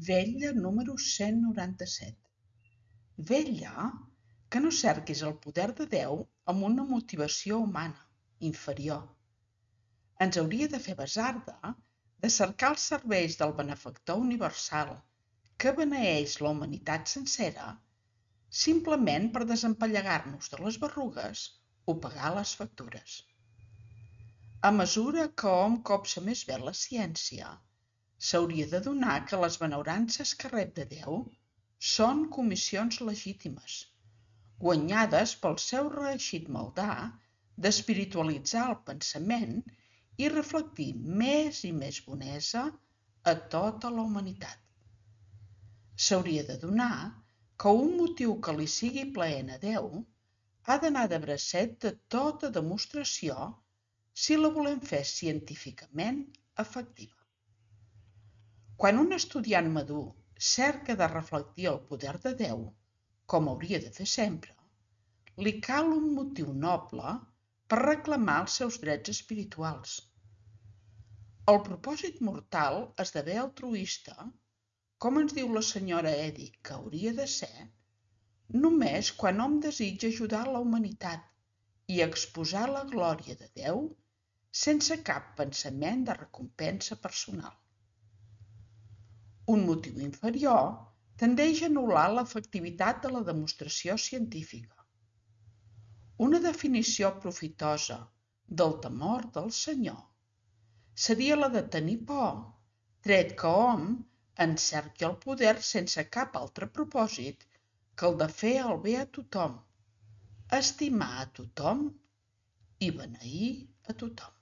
Vetlla número 197. Vetlla que no cerquis el poder de Déu amb una motivació humana, inferior. Ens hauria de fer basarda de cercar els serveis del benefactor universal que beneeix la humanitat sencera, simplement per desempallegar-nos de les berrugues o pagar les factures. A mesura que hom copsa més bé la ciència, s'hauria d'adonar que les benaurances que rep de Déu són comissions legítimes, guanyades pel seu reeixit maldà d'espiritualitzar el pensament i reflectir més i més bonesa a tota la humanitat. S'hauria d'adonar que un motiu que li sigui plaent a Déu ha d'anar de bracet de tota demostració si la volem fer científicament efectiva. Quan un estudiant madur cerca de reflectir el poder de Déu, com hauria de fer sempre, li cal un motiu noble per reclamar els seus drets espirituals. El propòsit mortal esdevé altruista, com ens diu la senyora Eddy que hauria de ser, només quan hom desitja ajudar la humanitat i exposar la glòria de Déu sense cap pensament de recompensa personal. Un motiu inferior tendeix a anul·lar l'efectivitat de la demostració científica. Una definició profitosa del temor del Senyor seria la de tenir por, tret que hom encerqui el poder sense cap altre propòsit que el de fer el bé a tothom, estimar a tothom i beneir a tothom.